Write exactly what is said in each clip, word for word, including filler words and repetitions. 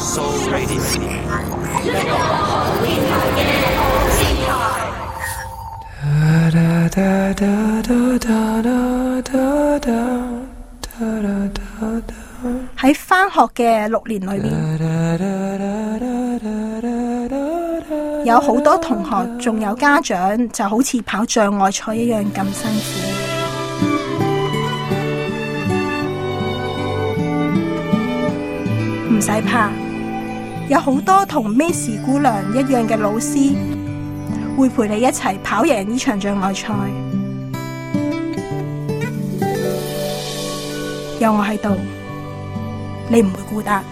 So Radio 一個好電台嘅好電台。喺返學嘅六年裏面，有好多同學仲有家長就好似跑障礙賽一樣咁辛苦。唔使怕，有好多同 Miss 姑娘一樣嘅老師會陪你一齊跑贏呢場障礙賽。有我喺度，你唔會孤單。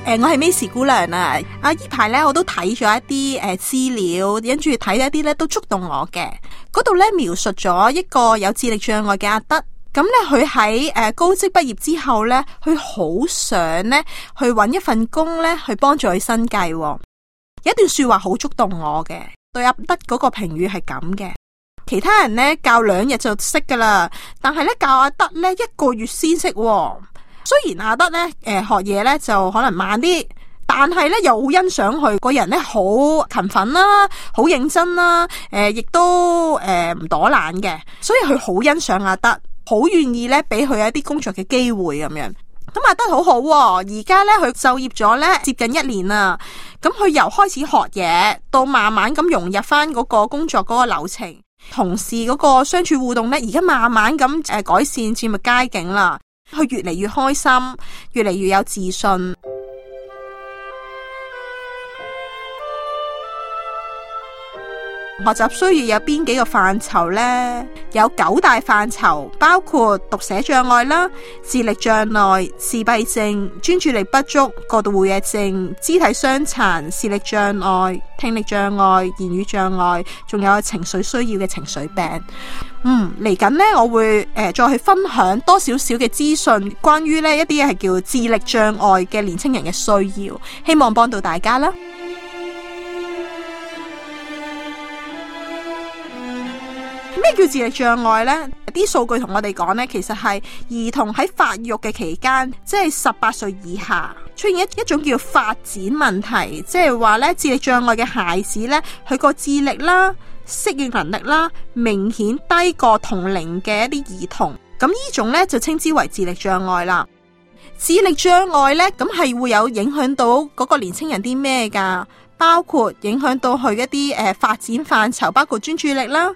誒、呃，我係 Miss 姑娘啊！啊，依排咧我都睇咗一啲誒資料，跟住睇一啲咧都觸動我嘅。嗰度咧描述咗一個有智力障礙嘅阿德，咁咧佢喺誒高職畢業之後咧，佢好想咧去搵一份工咧去幫助佢生計。有一段說話好觸動我嘅，對阿德嗰個評語係咁嘅。其他人咧教兩日就識噶啦，但係咧教阿德咧一個月先識。雖然阿德咧誒、呃、學嘢咧就可能慢啲，但係咧又好欣賞佢個人咧好勤奮啦，好認真啦，誒、呃、亦都誒唔躲懶嘅，所以佢好欣賞阿德，好願意咧俾佢一啲工作嘅機會咁樣。咁阿德好好、啊，而家咧佢就業咗咧接近一年啦。咁佢由開始學嘢到慢慢咁融入翻嗰個工作嗰個流程，同事嗰個相處互動咧，而家慢慢咁誒改善，漸入佳境啦。佢越嚟越開心，越嚟越有自信。學習需要有邊幾個範疇呢？有九大範疇，包括讀寫障礙啦、智力障礙、自閉症、專注力不足、過度活躍症、肢體傷殘、視力障礙、聽力障礙、言語障礙，仲有情緒需要嘅情緒病。嗯，嚟緊呢，我會誒、呃、再去分享多少少嘅資訊，關於呢一啲係叫智力障礙嘅年輕人嘅需要，希望幫到大家啦。咩叫智力障礙呢？啲數據同我哋講呢，其實係兒童喺發育嘅期間，即係十八歲以下出現一一種叫發展問題，即係話呢智力障礙嘅孩子呢，佢個智力啦、適應能力啦，明顯低過同齡嘅一啲兒童。咁呢種呢，就稱之為智力障礙啦。智力障礙呢，咁係會有影響到嗰個年輕人啲咩噶？包括影響到佢一啲誒、呃、發展範疇，包括專注力啦、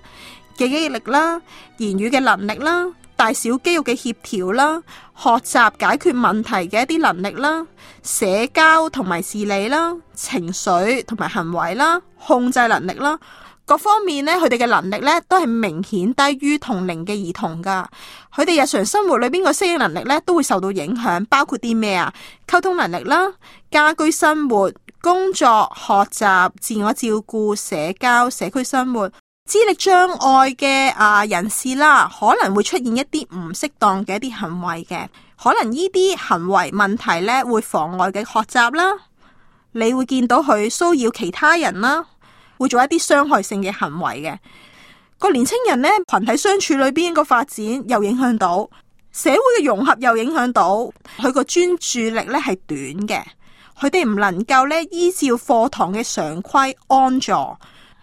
記憶力啦、言語嘅能力啦、大小肌肉嘅協調啦、學習解決問題嘅一啲能力啦、社交同埋自理啦、情緒同埋行為啦、控制能力啦，各方面呢，佢哋嘅能力呢都係明顯低於同齡嘅兒童噶。佢哋日常生活裏邊個適應能力呢都會受到影響，包括啲咩啊？溝通能力啦、家居生活、工作、學習、自我照顧、社交、社區生活。智力障礙嘅啊人士啦，可能會出現一啲唔適當嘅一啲行為嘅，可能呢啲行為問題呢會妨礙嘅學習啦，你會見到佢騷擾其他人啦，會做一啲傷害性嘅行為嘅。個年青人呢，群體相處裏邊個發展又影響到社會嘅融合，又影響到佢個專注力呢係短嘅，佢哋唔能夠呢依照課堂嘅常規安坐，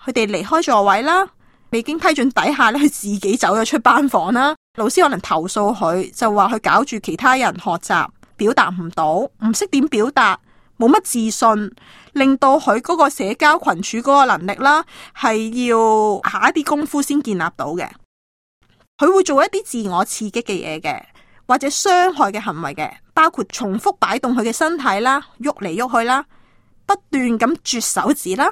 佢哋離開座位啦。未經批准底下咧，佢自己走咗出班房啦。老師可能投訴佢，就話佢搞住其他人學習，表達唔到，唔識點表達，冇乜自信，令到佢嗰個社交群處嗰個能力啦，係要下一啲功夫先建立到嘅。佢會做一啲自我刺激嘅嘢嘅，或者傷害嘅行為嘅，包括重複擺動佢嘅身體啦，喐嚟喐去啦，不斷咁啜手指啦，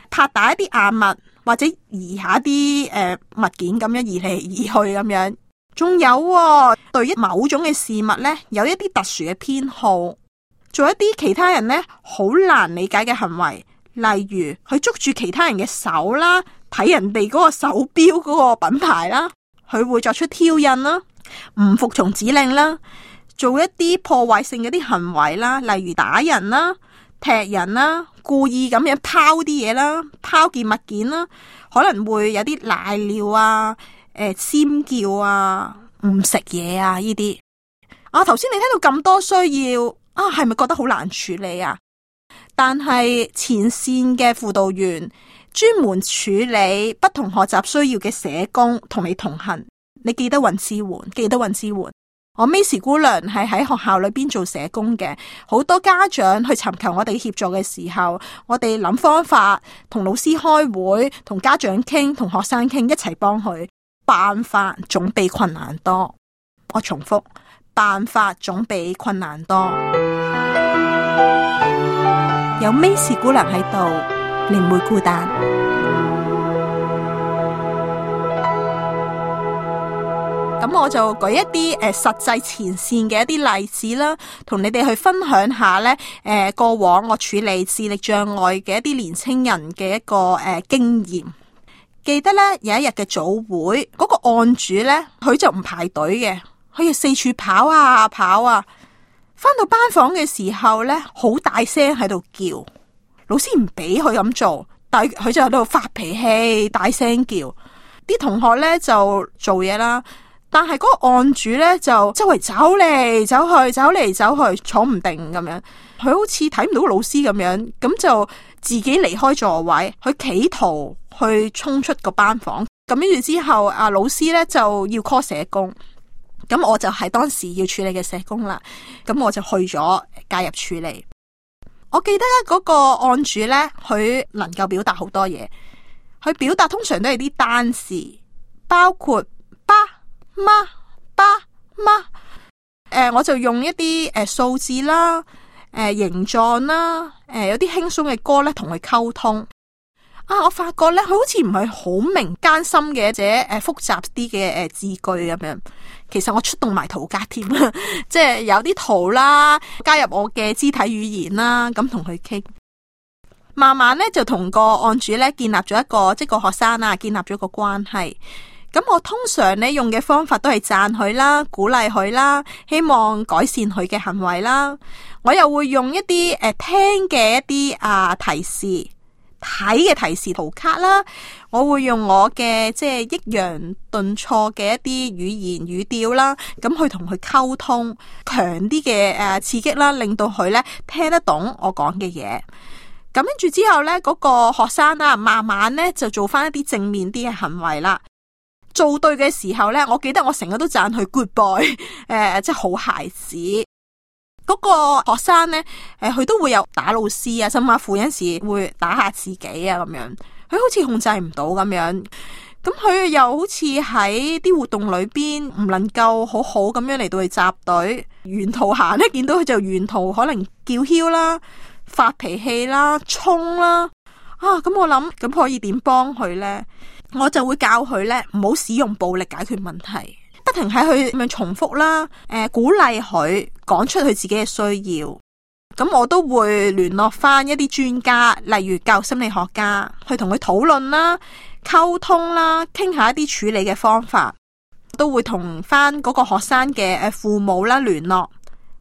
拍打一啲硬物。或者移下啲誒、呃、物件咁樣移嚟移去咁樣，仲有、哦、對於某種嘅事物呢，有一啲特殊嘅偏好，做一啲其他人呢好難理解嘅行為，例如佢捉住其他人嘅手啦，睇人哋嗰個手錶嗰個品牌啦，佢會作出挑釁啦，唔服從指令啦，做一啲破壞性嘅啲行為啦，例如打人啦、踢人啦，故意咁樣拋啲嘢啦，拋件物件啦，可能會有啲賴尿啊、誒、呃、尖叫啊、唔食嘢啊呢啲。啊，頭先你聽到咁多需要，啊，係咪覺得好難處理啊？但係前線嘅輔導員專門處理不同學習需要嘅社工同你同行，你記得揾支援，記得揾支援。我 Miss 姑娘係喺學校裏邊做社工嘅，好多家長去尋求我哋協助嘅時候，我哋諗方法，同老師開會，同家長傾，同學生傾，一齊幫佢。辦法總比困難多。我重複，辦法總比困難多。有 Miss 姑娘喺度，你唔會孤單。咁我就舉一啲誒、呃、實際前線嘅一啲例子啦，同你哋去分享下呢誒、呃、過往我處理智力障礙嘅一啲年青人嘅一個誒、呃、經驗。記得呢有一日嘅早會，嗰、那個案主呢，佢就唔排隊嘅，佢要四處跑啊跑啊，返到班房嘅時候呢，好大聲喺度叫，老師唔俾佢咁做，但係佢就喺度發脾氣，大聲叫，啲同學呢，就做嘢啦。但係嗰個案主咧就周圍走嚟走去，走嚟走去，坐唔定咁樣。佢好似睇唔到老師咁樣，咁就自己離開座位，佢企圖去衝出個班房。咁跟住之後，啊老師咧就要 call 社工。咁我就係當時要處理嘅社工啦。咁我就去咗介入處理。我記得嗰個案主咧，佢能夠表達好多嘢。佢表達通常都係啲單詞，包括爸。媽爸媽，誒、呃，我就用一啲誒數字啦，誒、呃、形狀啦，誒、呃、有啲輕鬆嘅歌咧，同佢溝通。啊，我發覺咧，佢好似唔係好明艱深嘅，或者誒複雜啲嘅誒字句咁樣。其實我出動埋圖卡添啦，即係有啲圖啦，加入我嘅肢體語言啦，咁同佢傾。慢慢咧就同個案主咧建立咗一個，即係個學生啊，建立咗個關係。咁我通常咧用嘅方法都係讚佢啦，鼓勵佢啦，希望改善佢嘅行為啦。我又會用一啲誒、呃、聽嘅一啲啊提示，睇嘅提示圖卡啦。我會用我嘅即係抑揚頓挫嘅一啲語言語調啦，咁去同佢溝通，強啲嘅誒刺激啦，令到佢咧聽得懂我講嘅嘢。咁跟住之後咧，嗰、嗰個學生啦，慢慢咧就做翻一啲正面啲嘅行為啦。做對嘅時候呢，我記得我成日都讚佢 good boy， 誒、呃，即係好孩子。嗰、那個學生呢，誒、呃，佢都會有打老師啊，甚至乎有陣時會打下自己啊，咁樣。佢好似控制唔到咁樣，咁佢又好似喺啲活動裏邊唔能夠好好咁樣嚟到去集隊，沿途行呢，見到佢就沿途可能叫囂啦、發脾氣啦、衝啦。啊，咁我諗咁可以點幫佢呢？我就會教佢咧，唔好使用暴力解決問題，不停喺佢咁樣重複啦，誒、呃，鼓勵佢講出佢自己嘅需要。咁我都會聯絡翻一啲專家，例如教育心理學家，去同佢討論啦、溝通啦，傾下一啲處理嘅方法。都會同翻嗰個學生嘅誒父母啦聯絡，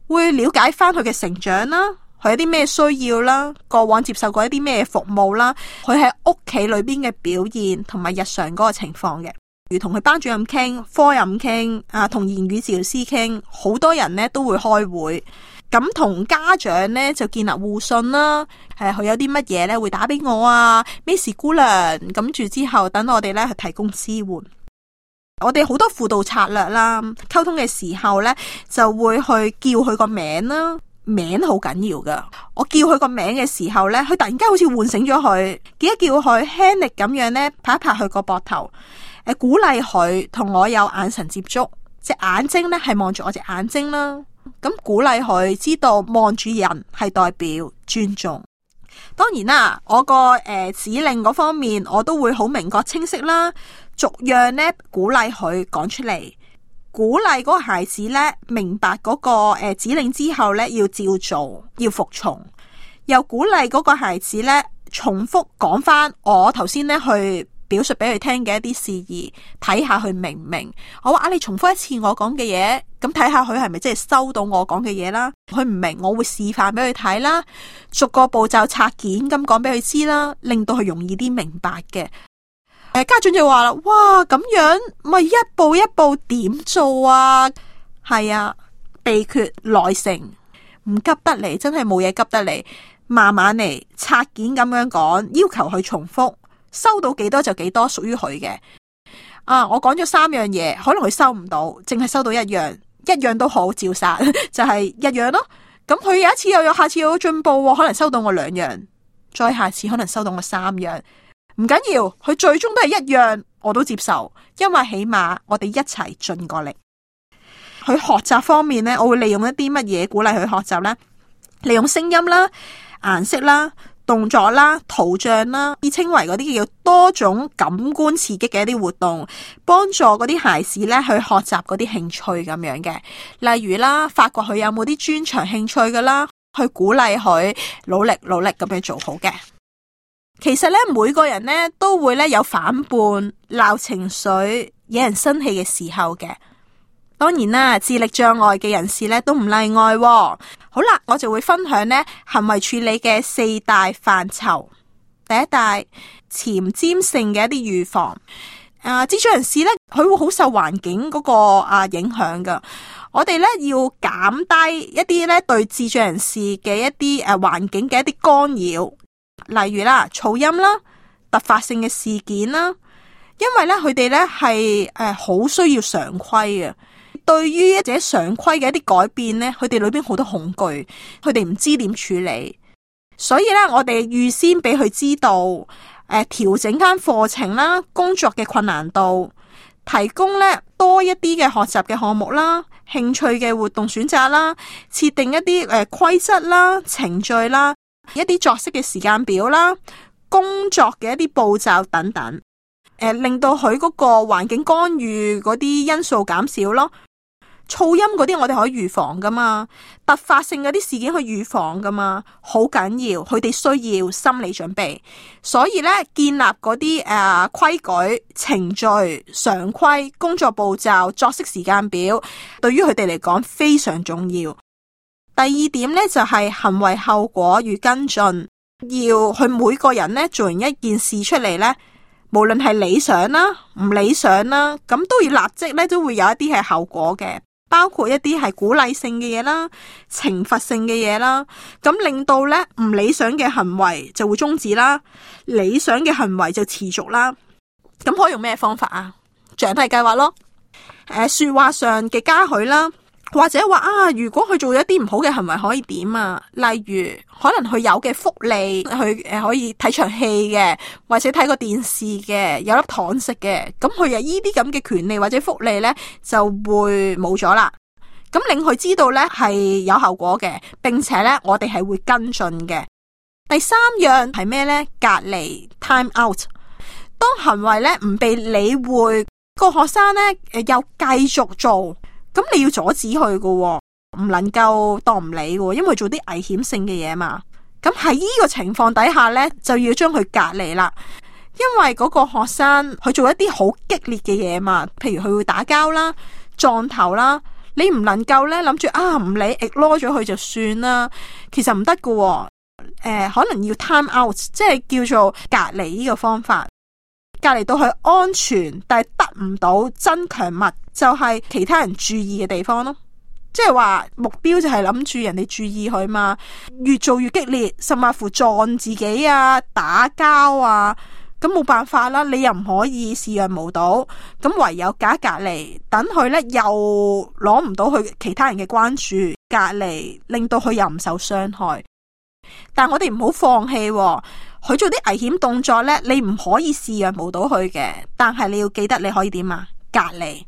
會了解翻佢嘅成長啦。佢有啲咩需要啦？過往接受過一啲咩服務啦？佢喺屋企裏邊嘅表現同埋日常嗰個情況嘅，如同佢班主任傾、科任傾啊，同言語治療師傾，好多人呢都會開會，咁同家長呢就建立互信啦。誒，佢有啲乜嘢呢會打俾我啊，Miss 姑娘，咁住之後等我哋呢去提供支援。我哋好多輔導策略啦，溝通嘅時候呢就會去叫佢個名啦。名好緊要噶，我叫佢個名嘅時候呢，佢突然間好似喚醒咗佢，記得叫佢輕力咁樣呢，拍一拍佢個膊頭，誒，鼓勵佢同我有眼神接觸，隻眼睛呢係望住我隻眼睛啦，咁鼓勵佢知道望住人係代表尊重。當然啦，我個誒、呃、指令嗰方面我都會好明確清晰啦，逐樣呢鼓勵佢講出嚟。鼓勵嗰個孩子咧明白嗰個誒指令之後咧要照做，要服從，又鼓勵嗰個孩子咧重複講翻我頭先咧去表述俾佢聽嘅一啲事宜，睇下佢明唔明。我話啊，你重複一次我講嘅嘢，咁睇下佢係咪真係收到我講嘅嘢啦。佢唔明，我會示範俾佢睇啦，逐個步驟拆件咁講俾佢知啦，令到佢容易啲明白嘅。誒，家長就話啦，哇，咁樣咪一步一步點做啊？係啊，秘訣耐性，唔急得嚟，真係冇嘢急得嚟，慢慢嚟拆件咁樣講，要求佢重複，收到幾多就幾多，屬於佢嘅。啊，我講咗三樣嘢，可能佢收唔到，淨係收到一樣，一樣都好照殺，就係一樣咯。咁佢有一次又有，下次又有進步，可能收到我兩樣，再下次可能收到我三樣，唔緊要，佢最終都係一樣，我都接受，因為起碼我哋一齊盡過力。佢學習方面呢，我會利用一啲乜嘢鼓勵佢學習呢？利用聲音啦、顏色啦、動作啦、圖像啦，以稱為嗰啲叫多種感官刺激嘅一啲活動，幫助嗰啲孩子咧去學習嗰啲興趣咁樣嘅。例如啦，發掘佢有冇啲專長興趣噶啦，去鼓勵佢努力努力咁樣做好嘅。其實咧，每個人咧都會咧有反叛、鬧情緒、惹人生氣嘅時候嘅。當然啦，智力障礙嘅人士咧都唔例外喎。好啦，我就會分享呢行為處理嘅四大範疇。第一大，前瞻性嘅一啲預防。啊，智障人士咧，佢會好受環境嗰個啊影響噶。我哋咧要減低一啲咧對智障人士嘅一啲誒環境嘅一啲干擾，例如啦噪音啦、突發性嘅事件啦。因為咧佢哋咧係誒好需要常規嘅。對於一啲常規嘅一啲改變呢，佢哋裏邊好多恐懼，佢哋唔知點處理，所以咧我哋預先俾佢知道，誒、呃、調整間課程啦，工作嘅困難度，提供咧多一啲嘅學習嘅項目啦，興趣嘅活動選擇啦，設定一啲誒規則啦、程序啦，一啲作息嘅時間表啦，工作嘅一啲步驟等等，誒、呃、令到佢嗰個環境干預嗰啲因素減少咯。噪音嗰啲我哋可以預防噶嘛，突發性嗰啲事件去預防噶嘛，好緊要，佢哋需要心理準備，所以咧建立嗰啲誒規矩、程序、常規、工作步驟、作息時間表，對於佢哋嚟講非常重要。第二點咧就係行為後果與跟進，要去每個人咧做完一件事出嚟咧，無論係理想啦、唔理想啦，咁都要立即咧都會有一啲係後果嘅。包括一啲係鼓勵性嘅嘢啦、懲罰性嘅嘢啦，咁令到咧唔理想嘅行為就會終止啦，理想嘅行為就持續啦。咁可以用咩方法啊？獎勵計劃咯，誒、呃，說話上嘅嘉許啦，或者話啊，如果佢做咗一啲唔好嘅行為，可以點啊？例如可能佢有嘅福利，佢誒可以睇場戲嘅，或者睇個電視嘅，有粒糖食嘅，咁佢有呢啲咁嘅權利或者福利呢，就會冇咗啦。咁令佢知道呢係有後果嘅，並且呢我哋係會跟進嘅。第三樣係咩呢？隔離 time out。當行為呢唔被理會，個學生呢誒又繼續做。咁你要阻止佢嘅，唔能夠當唔理嘅，因為做啲危險性嘅嘢嘛。咁喺呢個情況底下呢，就要將佢隔離啦。因為嗰個學生佢做一啲好激烈嘅嘢嘛，譬如佢會打交啦、撞頭啦，你唔能夠呢諗住啊唔理 ignore 咗佢就算啦。其實唔得嘅，誒、呃、可能要 time out， 即係叫做隔離呢個方法。隔離到佢安全，但係得唔到增強物，就係其他人注意嘅地方咯。即係話目標就係諗住人哋注意佢嘛，越做越激烈，甚至乎撞自己啊、打交啊，咁冇辦法啦。你又唔可以視若無睹，咁唯有隔隔離，等佢呢又攞唔到佢其他人嘅關注，隔離令到佢又唔受傷害。但我哋唔好放棄喎。佢做啲危險動作呢，你唔可以視若無睹佢嘅，但係你要記得你可以點啊？隔離，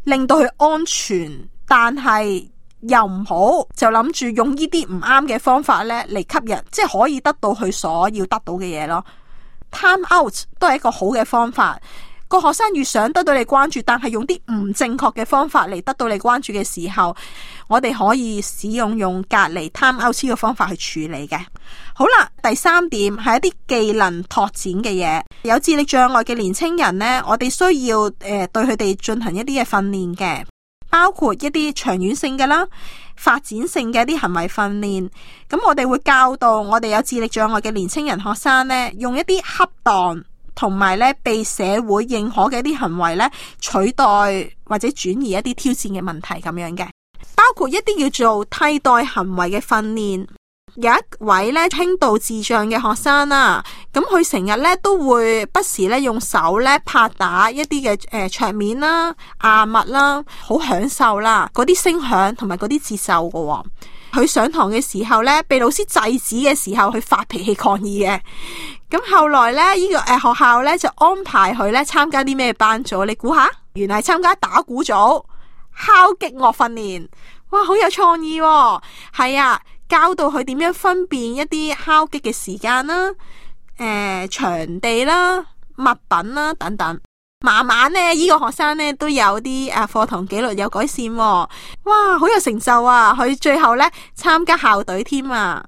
令到佢安全，但係又唔好就諗住用呢啲唔啱嘅方法呢嚟吸引，即係可以得到佢所要得到嘅嘢咯。Time out 都係一個好嘅方法。個學生越想得到你關注，但係用啲唔正確嘅方法嚟得到你關注嘅時候，我哋可以使用用隔離 time out 嘅方法去處理嘅。好啦，第三點係一啲技能拓展嘅嘢。有智力障礙嘅年青人呢，我哋需要誒、呃、對佢哋進行一啲嘅訓練嘅，包括一啲長遠性嘅啦、發展性嘅一啲行為訓練。咁我哋會教導我哋有智力障礙嘅年青人學生呢，用一啲恰當同埋咧被社會認可嘅一啲行為咧，取代或者轉移一啲挑戰嘅問題咁樣嘅。包括一啲叫做替代行為嘅訓練。有一位咧輕度智障嘅學生啦，咁佢成日咧都會不時咧用手咧拍打一啲嘅誒桌面啦、硬物啦，好享受啦嗰啲聲響同埋嗰啲節奏噶。佢上堂嘅時候咧，被老師制止嘅時候，佢發脾氣抗議嘅。咁後來咧，呢、這個誒、呃、學校咧就安排佢咧參加啲咩班組？你估下？原來係參加打鼓組、敲擊樂訓練。哇，好有創意喎！係啊。教到佢點樣分辨一啲敲擊嘅時間啦、誒、呃、場地啦、物品啦等等。慢慢呢，呢、這個學生呢都有啲誒課堂紀律有改善喎。哇，好有成就啊！佢最後呢參加校隊添啊。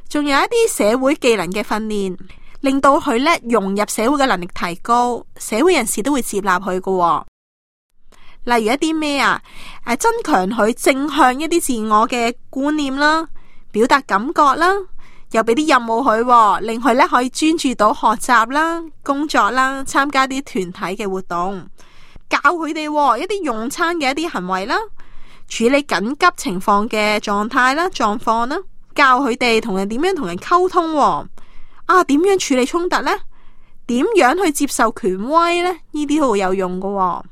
仲有一啲社會技能嘅訓練，令到佢呢融入社會嘅能力提高，社會人士都會接納佢㗎。例如一啲咩啊？誒，增強佢正向一啲自我嘅觀念啦，表達感覺啦，又俾啲任務佢，令佢咧可以專注到學習啦、工作啦、參加啲團體嘅活動，教佢哋一啲用餐嘅一啲行為啦，處理緊急情況嘅狀態啦、狀況啦，教佢哋同人點樣同人溝通，啊，點樣處理衝突呢？點樣去接受權威呢？呢啲都好有用噶。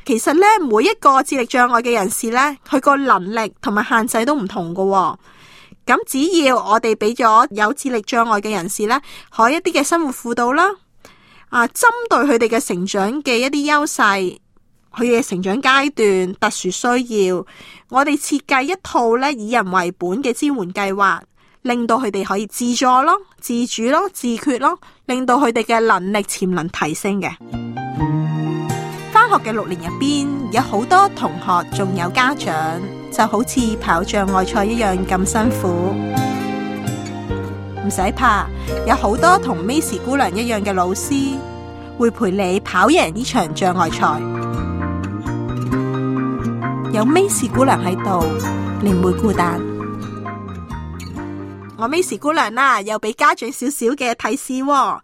其實咧，每一個智力障礙嘅人士咧，佢個能力同埋限制都唔同㗎喎。咁只要我哋俾咗有智力障礙嘅人士咧，可以一啲嘅生活輔導啦，啊，針對佢哋嘅成長嘅一啲優勢，佢嘅成長階段特殊需要，我哋設計一套咧以人為本嘅支援計劃，令到佢哋可以自助咯、自主咯、自決咯，令到佢哋嘅能力潛能提升嘅。返學嘅六年入邊，有好多同學仲有家長，就好似跑障礙賽一樣咁辛苦。唔使怕，有好多同 Macy 姑娘一樣嘅老師，會陪你跑贏呢場障礙賽。有 Macy 姑娘喺度，你唔會孤單。我 Macy 姑娘啦，又俾家長少少嘅提示喎。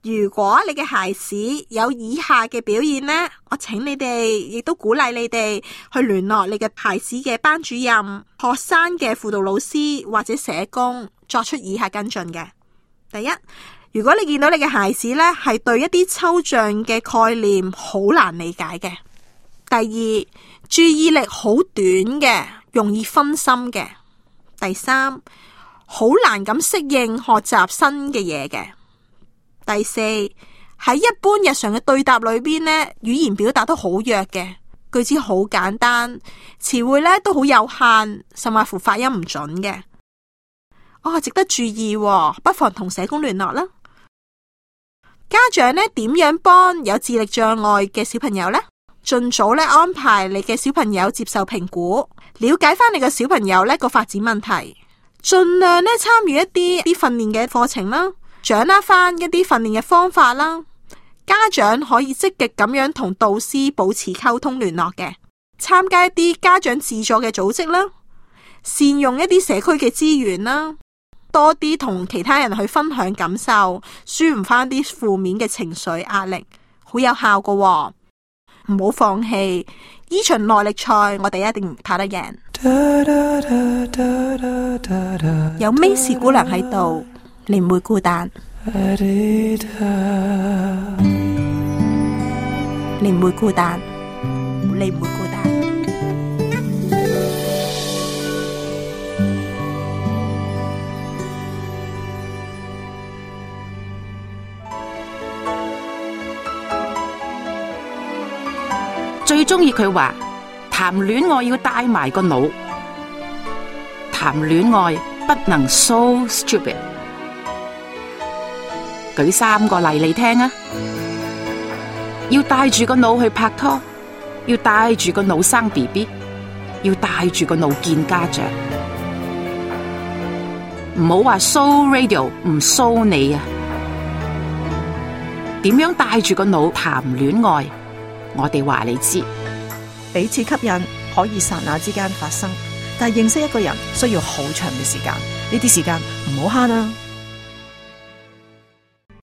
如果你嘅孩子有以下嘅表現呢，我請你哋，亦都鼓勵你哋去聯絡你嘅孩子嘅班主任、學生嘅輔導老師或者社工，作出以下跟進嘅。第一，如果你見到你嘅孩子呢係對一啲抽象嘅概念好難理解嘅；第二，注意力好短嘅，容易分心嘅；第三，好難咁適應學習新嘅嘢嘅。第四，喺一般日常嘅對答裏邊呢，語言表達都好弱嘅，句子好簡單，詞彙呢都好有限，甚至乎發音唔準嘅。哦，值得注意喎，不妨同社工聯絡啦。家長呢點樣幫有智力障礙嘅小朋友呢？盡早呢安排你嘅小朋友接受評估，了解翻你嘅小朋友呢個發展問題，盡量呢參與一啲啲訓練嘅課程啦。掌握翻一啲訓練嘅方法啦，家長可以積極咁樣同導師保持溝通聯絡嘅，參加一啲家長自助嘅組織啦，善用一啲社區嘅資源啦，多啲同其他人去分享感受，舒緩翻啲負面嘅情緒壓力，好有效㗎喎。唔好放棄呢場耐力賽，我哋一定跑得贏。有 Macy 姑娘喺度，你唔會孤單，你唔會孤單，你唔會孤單。最中意佢話談戀愛要帶埋個腦，談戀愛不能 so stupid。舉三個例嚟聽啊！要帶住個腦去拍拖，要帶住個腦生 B B， 要帶住個腦見家長。唔好話 so radio 唔 so 你啊！點樣帶住個腦談戀愛？我哋話你知，彼此吸引可以剎那之間發生，但係認識一個人需要好長嘅時間，呢啲時間唔好慳啊！